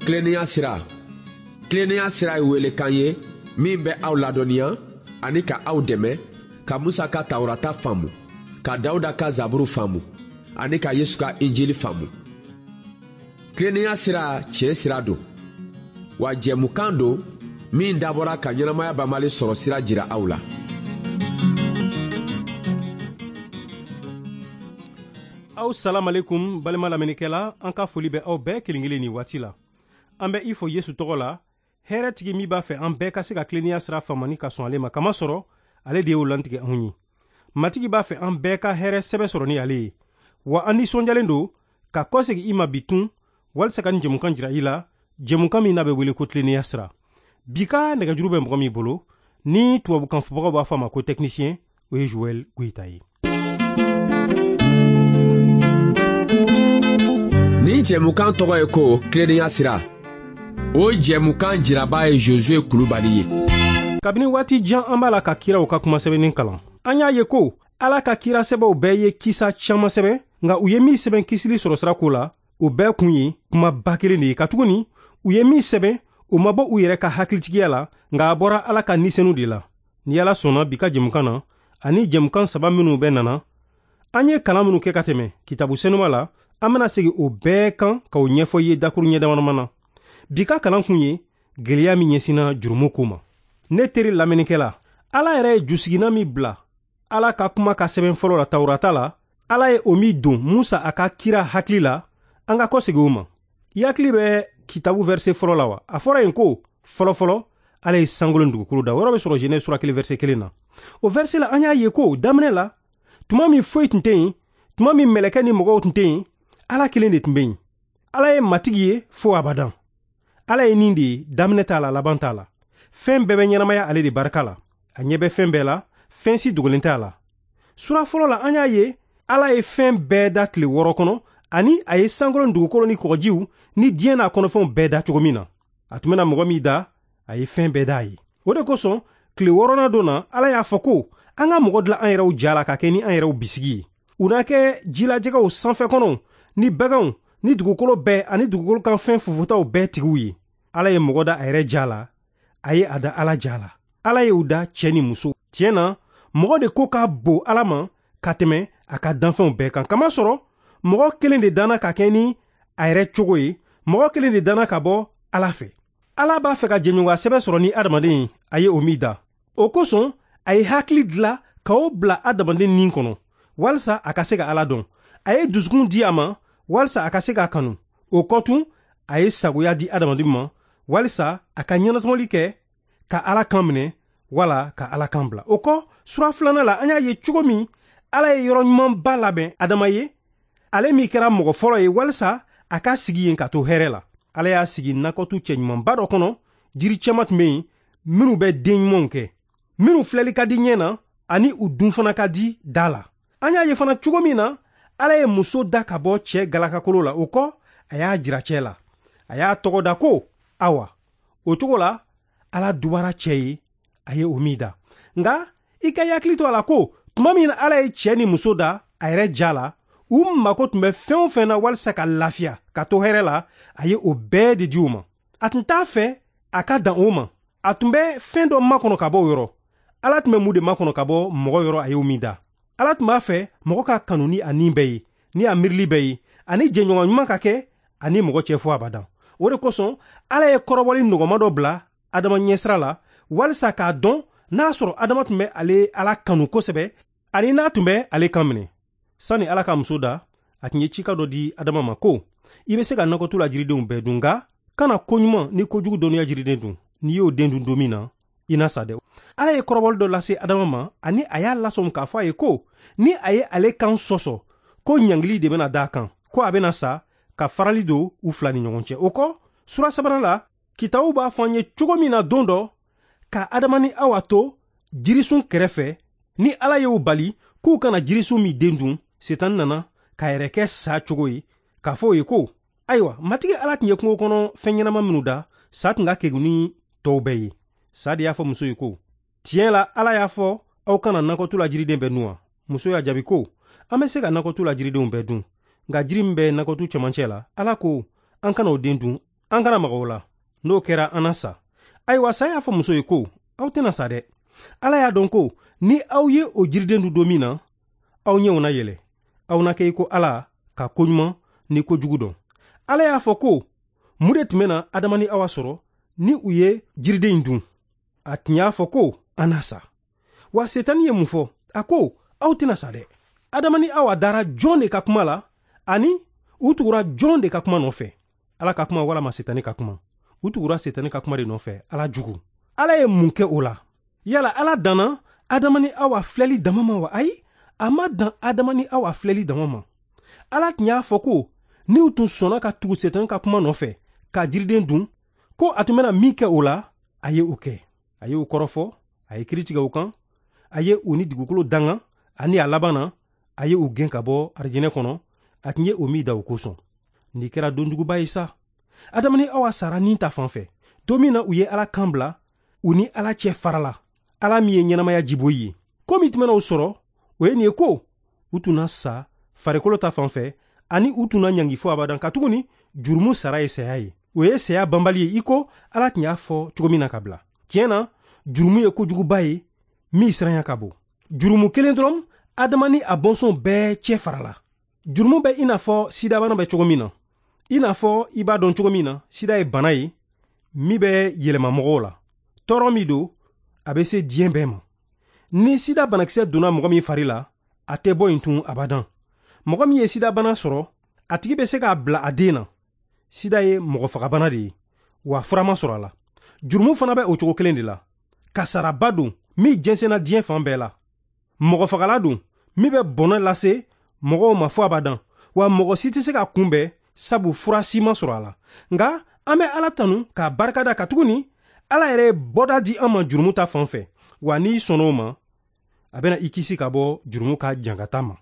Tilennenya sira. Tilennenya sira ye welekan ye min bɛ aw ladɔnniya ani ka aw dɛmɛ ka Musa ka Tawurata faamu, ka Dawuda ka Zaburu faamu ani ka Yesu ka Injili faamu. Tilennenya sira tiɲɛ sira don, wa jɛmukan don min dabɔra ka ɲɛnamaya banbali sɔrɔ sira jira aw la. Aw salamalekum balima lamɛnnikɛla, an ka foli bɛ aw bɛɛ kelen kelen nin waati la. An bɛ i fo Yesu tɔgɔ la, hɛrɛtigi min b'a fɛ an bɛɛ ka se ka tilennenya sira faamani ka sɔn ale ma, kamasɔrɔ ale de y'o lantigɛ anw ye. Matigi b'a fɛ an bɛɛ ka hɛrɛ sɛbɛ sɔrɔ ni ale ye. Wa an nisɔndiyalen don ka kɔsegin i ma bi tun walisa ka nin jɛmukan jira i la, jɛmukan min n'a bɛ wele ko tilennenya sira. Bi ka nɛgɛjuru bɛ mɔgɔ min bolo, ni tubabukan fɔbagaw b'a fɔ a ma ko technicien, o ye Joël Goyita ye. Nin jɛmukan tɔgɔ ye ko tilennenya sira. O jɛmukan jiraba ye Josué Kulubali ye. Kabini waati jan an b'a la ka kiraw ka kuma sɛbɛnni kalan. An y'a ye ko Ala ka kira sɛbɛw bɛɛ ye kisa caman sɛbɛn, nka u ye min sɛbɛn kisili sɔrɔsira ko la, o bɛɛ kun ye kumaba kelen de ye, katuguni u ye min sɛbɛn, o ma bɔ u yɛrɛ ka hakilitigiya la, nka a bɔra Ala ka nisɛnu de la. Ni Ala sɔnna bi ka jɛmukan na, ani jɛmukan saba minnu bɛ nana, an ye kalan minnu kɛ ka tɛmɛ kitabu senuma la, an bɛna segin o bɛɛ kan k'o ɲɛfɔ i ye dakuru ɲɛ damadama na. Bi ka kalan kun ye gɛlɛya min ɲɛsinna jurumu ko ma. Ne teri lamɛnnikɛla, Ala yɛrɛ ye jusiginna min bila Ala ka kuma ka sɛbɛn fɔlɔ la Tawurata la, Ala ye o min don Musa a ka kira hakili la, an ka kɔsegin o ma. I hakili bɛ kitabu verset fɔlɔ la wa? A fɔra yen ko fɔlɔfɔlɔ Ala ye sankolo ni dugukolo da. O yɔrɔ bɛ sɔrɔ Genèse sura 1 verset 1 na. O verset la an y'a ye ko daminɛ la, tuma min foyi tun tɛ yen, tuma min mɛlɛkɛ ni mɔgɔw tun tɛ yen, Ala kelen de tun bɛ yen. Ala ye matigi ye fo abadan. Ala ye nin de ye, daminɛ t'a la, laban t'a la. Fɛn bɛɛ bɛ ɲɛnamaya ale de barika la. A ɲɛ bɛ fɛn bɛɛ la, fɛn si dogolen t'a la. Sura fɔlɔ la an y'a ye Ala ye fɛn bɛɛ da tile 6 kɔnɔ, ani a ye sankolo ni dugukolo ni kɔgɔjiw ni diɲɛ n'a kɔnɔfɛnw bɛɛ da cogo min na. A tun bɛna mɔgɔ min da, a ye fɛn bɛɛ da a ye. O de kosɔn tile 6nan don na, Ala y'a fɔ ko an ka mɔgɔ dilan an yɛrɛw ja la ka kɛ ni an yɛrɛw bisigi ye. U n'a kɛ jilajɛgɛw sanfɛ kɔnɔw ni baganw ni dugukolo bɛɛ ani dugukolo kan fɛn fufutaw bɛɛ tigiw ye. Ala ye mɔgɔ da a yɛrɛ ja la, a ye a da Ala ja la. Ala ye u da cɛ ni muso. Tiɲɛ na, mɔgɔ de ko ka bon Ala ma ka tɛmɛ a ka danfɛnw bɛɛ kan. Kamasɔrɔ mɔgɔ kelen de danna ka kɛ ni a yɛrɛ cogo ye, mɔgɔ kelen de danna ka bɔ Ala fɛ. Ala b'a fɛ ka jɛɲɔgɔnya sɛbɛ sɔrɔ ni adamaden ye, a ye o min da. O kosɔn a ye hakili dila k'o bila adamaden nin kɔnɔ, walisa a ka se ka Ala dɔn. A ye dusukun di a ma, walisa a ka se k'a kanu. O kɔ tun, a ye sagoya di adamaden ma, walisa a ka ɲɛnatɔmɔli kɛ, ka Ala kan minɛ, wala ka Ala kan bila. O kɔ, sura 2 la, an y'a ye cogo min Ala ye yɔrɔ ɲumanba labɛn Adama ye, ale min kɛra mɔgɔ fɔlɔ ye, walisa a ka sigi yen ka to hɛrɛ la. Ala y'a sigi nakɔtu cɛɲumanba dɔ kɔnɔ, jiri caman tun bɛ yen minnu bɛ den ɲumanw kɛ, minnu filɛli ka di ɲɛ na ani u dun fana ka di da la. An y'a ye fana cogo min na Ala ye muso da ka bɔ cɛ galakakolo la, o kɔ a y'a jira cɛ la. A y'a tɔgɔ da ko Awa. O cogo la Ala dubara cɛ ye, a ye o min da. Nka i ka hakili to a la ko tuma min na Ala ye cɛ ni muso da a yɛrɛ ja la, u mako tun bɛ fɛn o fɛn na walisa ka lafiya, ka to hɛrɛ la, a ye o bɛɛ de di u ma. A tun t'a fɛ a ka dan o ma. A tun bɛ fɛn dɔ makɔnɔ ka bɔ o yɔrɔ. Ala tun bɛ mun de makɔnɔ ka bɔ mɔgɔ yɔrɔ a ye o min da? Ala tun b'a fɛ mɔgɔ ka kanu ni a nin bɛɛ ye, ni a miirili bɛɛ ye, ani jɛɲɔgɔn ɲuman ka kɛ ani mɔgɔ cɛ fo abadan. O de kosɔn Ala ye kɔrɔbɔli nɔgɔma dɔ bila Adama ɲɛsira la, walisa k'a dɔn n'a sɔrɔ Adama tun bɛ ale Ala kanu kosɛbɛ, ani n'a tun bɛ ale kan minɛ. Sani Ala ka muso da, a tun ye cika dɔ di Adama ma ko i bɛ se ka nakɔtu la jiridenw bɛɛ dun, nka kana koɲuman ni kojugu dɔnniya jiriden dun. N'i y'o den dun don min na, i na sa dɛ. Ala ye kɔrɔbɔli dɔ lase Adama ma, ani a y'a lasɔmi k'a fɔ a ye ko ni a ye ale kan sɔsɔ, ko ɲangili de bɛna d'a kan, ko a bɛna sa ka farali don u fila ni ɲɔgɔn cɛ. O kɔ, sura 3 la, kitabu b'a fɔ an ye cogo min na don dɔ ka Adama ni Awa to jirisun kɛrɛfɛ, ni Ala y'u bali k'u kana jirisun min den dun, Sitani nana k'a yɛrɛ kɛ sa cogo ye, k'a fɔ o ye ko ayiwa, Matigi Ala tun ye kungo kɔnɔ fɛn ɲɛnama minnu da, sa tun ka kegun ni tɔw bɛɛ ye. Sa de y'a fɔ muso ye ko tiɲɛ la Ala y'a fɔ aw kana nakɔtu la jiriden bɛɛ dun wa? Muso y'a jaabi ko an bɛ se ka nakɔtu la jiridenw bɛɛ dun, nka jiri min bɛ nakɔtu cɛmancɛ la, Ala ko an kana o den dun, An kana maga o la, n'o kɛra an na sa. Ayiwa, sa y'a fɔ muso ye ko, aw tɛna sa dɛ. Ala y'a dɔn ko ni aw ye o jiriden dun don min na, aw ɲɛw na yɛlɛ, aw na kɛ i ko Ala ka koɲuman ni kojugu dɔn. Ala y'a fɔ ko mun de tun bɛna Adama ni Awa sɔrɔ ni u ye jiriden in dun? A tun y'a fɔ ko an na sa. Wa Setani ye mun fɔ? A ko aw tɛna sa dɛ. Adama ni Awa dara jɔn de ka kuma la, ani u tugura jɔn de ka kuma nɔfɛ? Ala ka kuma walama Setani ka kuma? U tugura Setani ka kuma de nɔfɛ, Ala jugu. Ala ye mun kɛ o la? Yala Ala danna Adama ni Awa filɛli dama ma wa? Ayi, a ma dan Adama ni Awa filɛli dama ma. Ala tun y'a fɔ ko ni u tun sɔnna ka tugu Setani ka kuma nɔfɛ ka jiriden dun, ko a tun bɛna min kɛ o la, a ye o kɛ. A ye u kɔrɔfɔ, a ye kiiri tigɛ u kan, a ye u ni dugukolo danga, ani a laban na, a ye u gɛn ka bɔ arijinɛ kɔnɔ, a tun ye o min da u kosɔn. Nin kɛra donjuguba ye sa. Adama ni Awa sara ni ta fan fɛ. Don min na u ye Ala kan bila, u ni Ala cɛ farala, Ala min ye ɲɛnamaya jiboyi ye. Ko min tun bɛna u sɔrɔ, o ye nin ye ko u tun na sa farikolo ta fan fɛ, ani u tun na ɲangi fo abadan, katuguni jurumu sara ye saya ye. O ye saya banbali ye, i ko Ala tun y'a fɔ cogo min na ka bila. Tiɲɛ na, jurumu ye kojuguba ye min siranya ka bon. Jurumu kelen dɔrɔn, Adama ni a bɔnsɔn bɛɛ cɛ farala. Jurumu bɛ i n'a fɔ sidabana bɛ cogo min na. I n'a fɔ i b'a dɔn cogo min na, sida ye bana ye min bɛ yɛlɛma mɔgɔw la. Tɔɔrɔ min don, a bɛ se diɲɛ bɛɛ ma. Ni sida banakisɛ donna mɔgɔ min fari la, a tɛ bɔ yen tun abadan. Mɔgɔ min ye sidabana sɔrɔ, a tigi bɛ se k'a bila a den na. Sida ye mɔgɔfagabana de ye, wa fura ma sɔrɔ a la. Jurumu fana bɛ o cogo kelen de la. Kasaraba don min jɛnsɛnna diɲɛ fan bɛɛ la. Mɔgɔfagala don min bɛ bɔnɛ lase mɔgɔw ma fo abadan, wa mɔgɔ si tɛ se ka kunbɛn sabu fura si ma sɔrɔ a la. Nka an bɛ Ala tanu k'a barikada, katuguni Ala yɛrɛ ye bɔda di an ma jurumu ta fan fɛ, wa n'i sɔnna o ma, a bɛna i kisi ka bɔ jurumu ka jangata ma.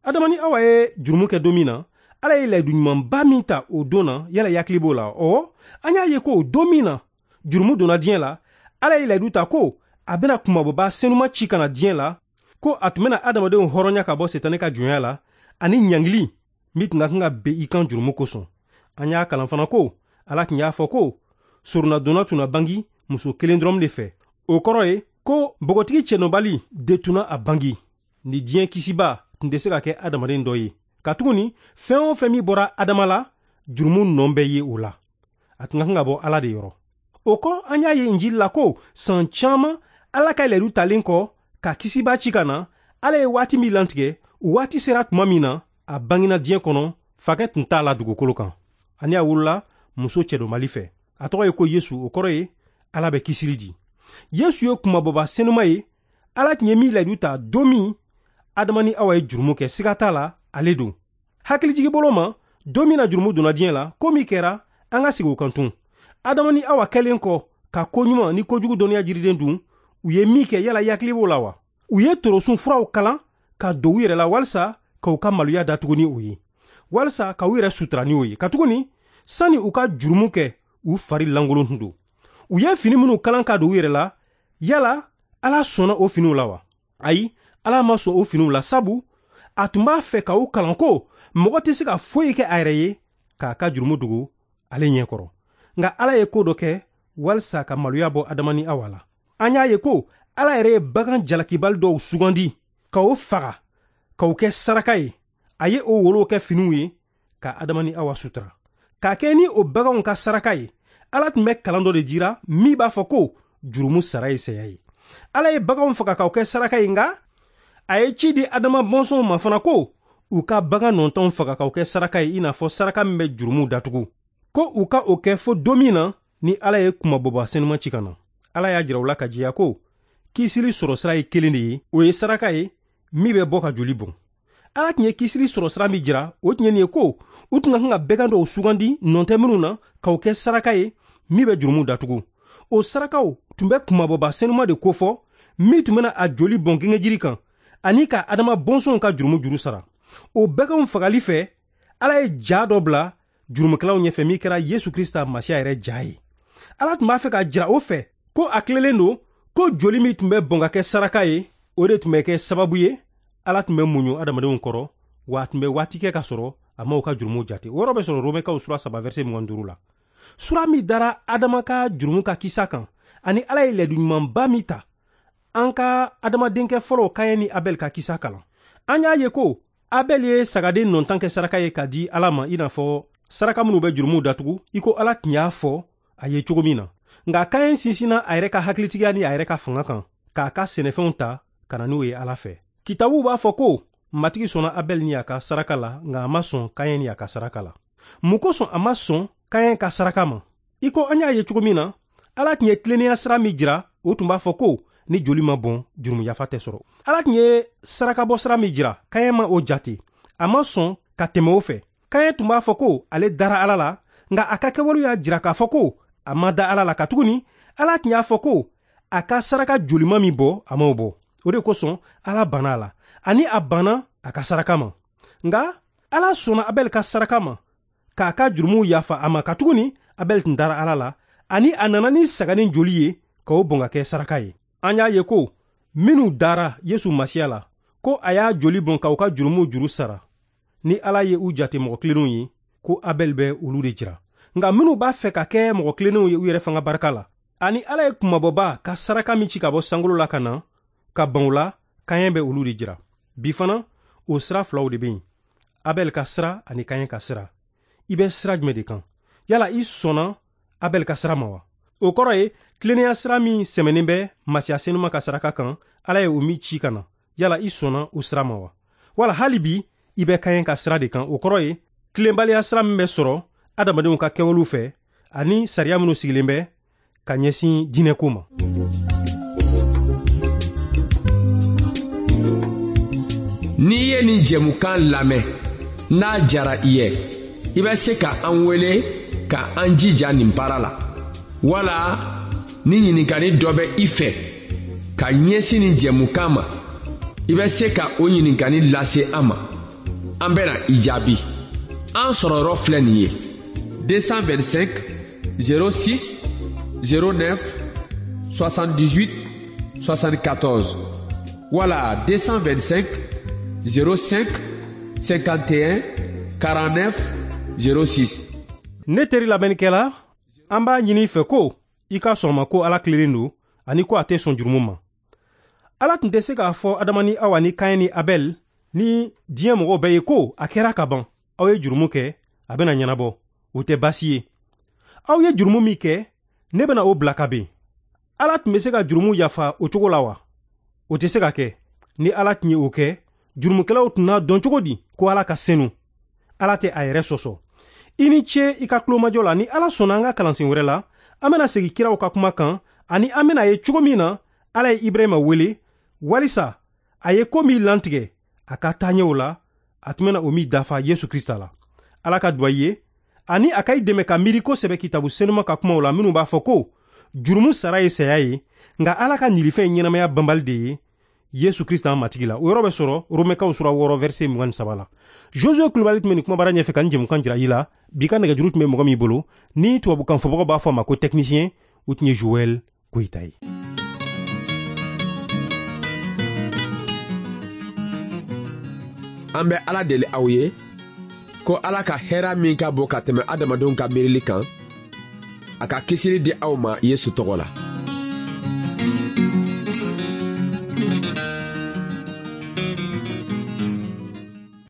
Adama ni Awa ye jurumu kɛ don min na, Ala ye layidu ɲumanba min ta o don na, yala i hakili b'o la? Ɔwɔ, an y'a ye ko don min na jurumu donna diɲɛ la, Ala ye layidu ta ko a bɛna kunmabɔba senuma ci ka na diɲɛ la, ko a tun bɛna adamadenw hɔrɔnya ka bɔ Setani ka jɔnya la ani ɲangili min tun ka kan ka ben i kan jurumu kosɔn. An y'a kalan fana ko Ala tun y'a fɔ ko soronnadonna tun na bangi muso kelen dɔrɔn de fɛ. O kɔrɔ ye ko npogotigi cɛnɔbali de tun na a bangi. Ni diɲɛ kisiba tun tɛ se ka kɛ adamaden dɔ ye, katuguni fɛn o fɛn min bɔra Adama la, jurumu nɔ bɛ ye o la. A tun ka kan ka bɔ Ala de yɔrɔ. O kɔ, an y'a ye Injili la ko san caman Ala ka layidu talen kɔ ka kisiba ci ka na, Ala ye waati min lantigɛ, o waati sera tuma min na, a bangena diɲɛ kɔnɔ, fakɛ tun t'a la dugukolo kan. Ani a wolola muso cɛdɔnbali fɛ. A tɔgɔ ye ko Yesu, o kɔrɔ ye Ala bɛ kisili di. Yesu ye kunmabɔba senuma ye, Ala tun ye min layidu ta don min Adama ni Awa ye jurumu kɛ, siga t'a la, ale don. Hakilijigi bolo ma, don min na jurumu donna diɲɛ la, ko min kɛra, an ka segin o kan tun. Adama ni Awa kɛlen kɔ ka koɲuman ni kojugu dɔnniya jiriden dun, u ye min kɛ, yala i hakili b'o la wa? U ye torosun furaw kalan ka don u yɛrɛ la walisa k'u ka maloya datugu ni o ye, walisa k'u yɛrɛ sutura ni o ye, katuguni sani u ka jurumu kɛ, u fari lankolon tun don. U ye fini minnu kalan ka don u yɛrɛ la, yala Ala sɔnna o finiw la wa? Ayi, Ala ma sɔn o finiw la, sabu a tun b'a fɛ ka u kalan ko mɔgɔ tɛ se ka foyi kɛ a yɛrɛ ye k'a ka jurumu dogo ale ɲɛkɔrɔ. Nka Ala ye ko dɔ kɛ walisa ka maloya bɔ Adama ni Awa la. An y'a ye ko Ala yɛrɛ ye bagan jalakibali dɔw sugandi ka o faga k'o kɛ saraka ye. A ye o wolow kɛ finiw ye ka Adama ni Awa sutura. K'a kɛ ni o baganw ka saraka ye, Ala tun bɛ kalan dɔ de jira min b'a fɔ ko jurumu sara ye saya ye. Ala ye baganw faga k'o kɛ saraka ye, nka a ye ci di Adama bɔnsɔnw ma fana ko u ka bagan nɔntɔnw faga k'o kɛ saraka ye, i n'a fɔ saraka min bɛ jurumu datugu, ko u ka o kɛ fo don min na ni Ala ye kunmabɔba senuma ci ka na. Ala y'a jira u la ka jɛya ko kisili sɔrɔ sira ye kelen de ye, o ye saraka ye min bɛ bɔ ka joli bɔn. Ala tun ye kisili sɔrɔ sira min jira, o tun ye nin ye ko u tun ka kan ka bɛgan dɔw sugandi nɔ tɛ minnu na k'o kɛ saraka ye min bɛ jurumu datugu. O sarakaw tun bɛ kunmabɔba senuma de kofɔ min tun bɛna a joli bɔn gengejiri kan ani ka Adama bɔnsɔnw ka jurumu juru sara. O bɛganw fagali fɛ, Ala ye ja dɔ bila jurumukɛlaw ɲɛfɛ min kɛra Yesu Krista Masiya yɛrɛ ja ye. Ala tun b'a fɛ k'a jira o fɛ ko a tilelen don ko joli min tun bɛ bɔn ka kɛ saraka ye, o de tun bɛ kɛ sababu ye Ala tun bɛ muɲu adamadenw kɔrɔ, wa a tun bɛ waati kɛ ka sɔrɔ a ma u ka jurumuw jate. O yɔrɔ bɛ sɔrɔ Romɛkaw sura 3 verset 25 la. Sura min dara Adama ka jurumu ka kisa kan, ani Ala ye layidu ɲumanba min ta an ka adamadenkɛ fɔlɔw Kayɛn ni Abɛl ka kisa kalan. An y'a ye ko Abɛl ye sagaden nɔntan kɛ saraka ye k'a di Ala ma, i n'a fɔ saraka minnu bɛ jurumuw datugu, i ko Ala tun y'a fɔ a ye cogo min na. Nka Kayɛn sinsinna a yɛrɛ ka hakilitigiya ni a yɛrɛ ka fanga kan k'a ka sɛnɛfɛnw ta ka na n'o ye Ala fɛ. Kitabuw b'a fɔ ko Matigi sɔnna Abɛl ni a ka saraka la, nka a ma sɔn Kayɛn ni a ka saraka la. Mun kosɔn a ma sɔn Kayɛn ka saraka ma? I ko an y'a ye cogo min na, Ala tun ye tilennenya sira min jira, o tun b'a fɔ ko ni joli ma bɔn, jurumu yafa tɛ sɔrɔ. Ala tun ye sarakabɔ sira min jira, Kayɛn ma o jate. A ma sɔn ka tɛmɛ o fɛ. Kayɛn tun b'a fɔ ko ale dara Ala la, nka a ka kɛwalew y'a jira k'a fɔ ko a ma da Ala la, katuguni Ala tun y'a fɔ ko a ka saraka jolima min bɔ, a m'o bɔ. O de kosɔn Ala banna a la, ani a banna a ka saraka ma. Nka Ala sɔnna Abɛl ka saraka ma k'a ka jurumuw yafa a ma, katuguni Abɛl tun dara Ala la, ani a nana ni saganin joli ye k'o bɔn ka kɛ saraka ye. An y'a ye ko minnu dara Yesu Masiya la, ko a y'a joli bɔn k'u ka jurumuw juru sara, ni Ala ye u jate mɔgɔ tilennenw ye, ko Abɛl bɛ olu de jira. Nka minnu b'a fɛ ka kɛ mɔgɔ tilennenw ye u yɛrɛ fanga barika la, ani Ala ye kunmabɔba ka saraka min ci ka bɔ sankolo la ka na ka ban o la, Kayɛn bɛ olu de jira. Bi fana, o sira filaw de bɛ yen, Abɛl ka sira ani Kayɛn ka sira. I bɛ sira jumɛn de kan? Yala i sɔnna Abɛl ka sira ma wa? O kɔrɔ ye tilennenya sira min sɛmɛnen bɛ Masiya senuma ka saraka kan, Ala ye o min ci ka na. Yala i sɔnna o sira ma wa? Wala hali bi i bɛ Kayɛn ka sira de kan. O kɔrɔ ye tilenbaliya sira min bɛ sɔrɔ adamadenw ka kɛwalew fɛ ani sariya minnu sigilen bɛ ka ɲɛsin diinɛko ma. N'i ye nin jɛmukan lamɛn, n'a jara i ye, i bɛ se ka an wele ka an jija nin baara la, wala ni ɲininkali dɔ bɛ i fɛ ka ɲɛsin nin jɛmukan ma, i bɛ se ka o ɲininkali lase an ma. An bɛna i jaabi. An sɔrɔyɔrɔ filɛ nin ye: 225 06 09 78 74 wala 225 05 51 49 06. Ne teri lamɛnnikɛla, an b'a ɲini i fɛ ko i ka sɔn ma ko Ala tilennen don ani ko a tɛ sɔn jurumu ma. Ala tun tɛ se k'a fɔ Adama ni Awa ni Kayɛn ni Abɛl ni diɲɛ mɔgɔw bɛɛ ye ko a kɛra ka ban, aw ye jurumu kɛ, a bɛna ɲɛnabɔ, o tɛ baasi ye. Aw ye jurumu min kɛ, ne bɛna o bila ka ben. Ala tun bɛ se ka jurumu yafa o cogo la wa? O tɛ se ka kɛ. Ni Ala tun ye o kɛ, jurumukɛlaw tun n'a dɔn cogo di ko Ala ka senu? Ala tɛ a yɛrɛ sɔsɔ. I ni ce i ka tulomajɔ la. Ni Ala sɔnna, an ka kalansen wɛrɛ la, an bɛna segin kiraw ka kuma kan, ani an bɛna ye cogo min na Ala ye Ibrahima wele walisa a ye ko min lantigɛ a ka taaɲɛw la, a tun bɛna o min dafa Yesu Krista la. Ala ka duwa i ye, ani a ka i dɛmɛ ka miiri kosɛbɛ kitabu senuma ka kumaw la minnu b'a fɔ ko jurumu sara ye saya ye, nka Ala ka nilifɛn ye ɲɛnamaya banbali de ye Yesu Krista an Matigi la. O yɔrɔ bɛ sɔrɔ Romɛkaw sura 6 verset 23 la. Josue Kulubali tun bɛ nin kumabara ɲɛfɛ ka nin jɛmukan jira i la. Bi ka nɛgɛjuru tun bɛ mɔgɔ min bolo, ni tubabukan fɔbagaw b'a fɔ a ma ko technicien, o tun ye Joël Goyita ye. An bɛ Ala deli aw ye ko Ala ka hɛra min ka bon ka tɛmɛ adamadenw ka miirili kan, a ka kisili di aw ma Yesu tɔgɔ la.